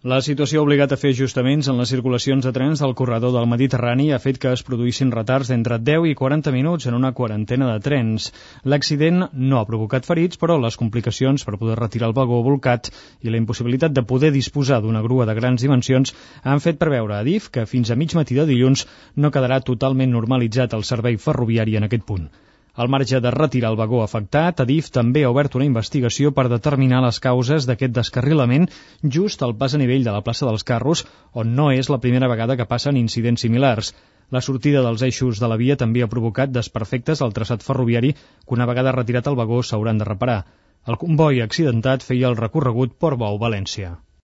La situació ha obligat a fer ajustaments en les circulacions de trens del corredor del Mediterrani i ha fet que es produïssin retards d'entre 10 i 40 minuts en una quarantena de trens. L'accident no ha provocat ferits, però les complicacions per poder retirar el vagó bolcat i la impossibilitat de poder disposar d'una grua de grans dimensions han fet preveure a Adif que fins a mig matí de dilluns no quedarà totalment normalitzat el servei ferroviari en aquest punt. Al marge de retirar el vagó afectat, Adif també ha obert una investigació per determinar les causes d'aquest descarrilament just al pas a nivell de la plaça dels Carros, on no és la primera vegada que passen incidents similars. La sortida dels eixos de la via també ha provocat desperfectes al traçat ferroviari que una vegada retirat el vagó s'hauran de reparar. El comboi accidentat feia el recorregut Portbou-València.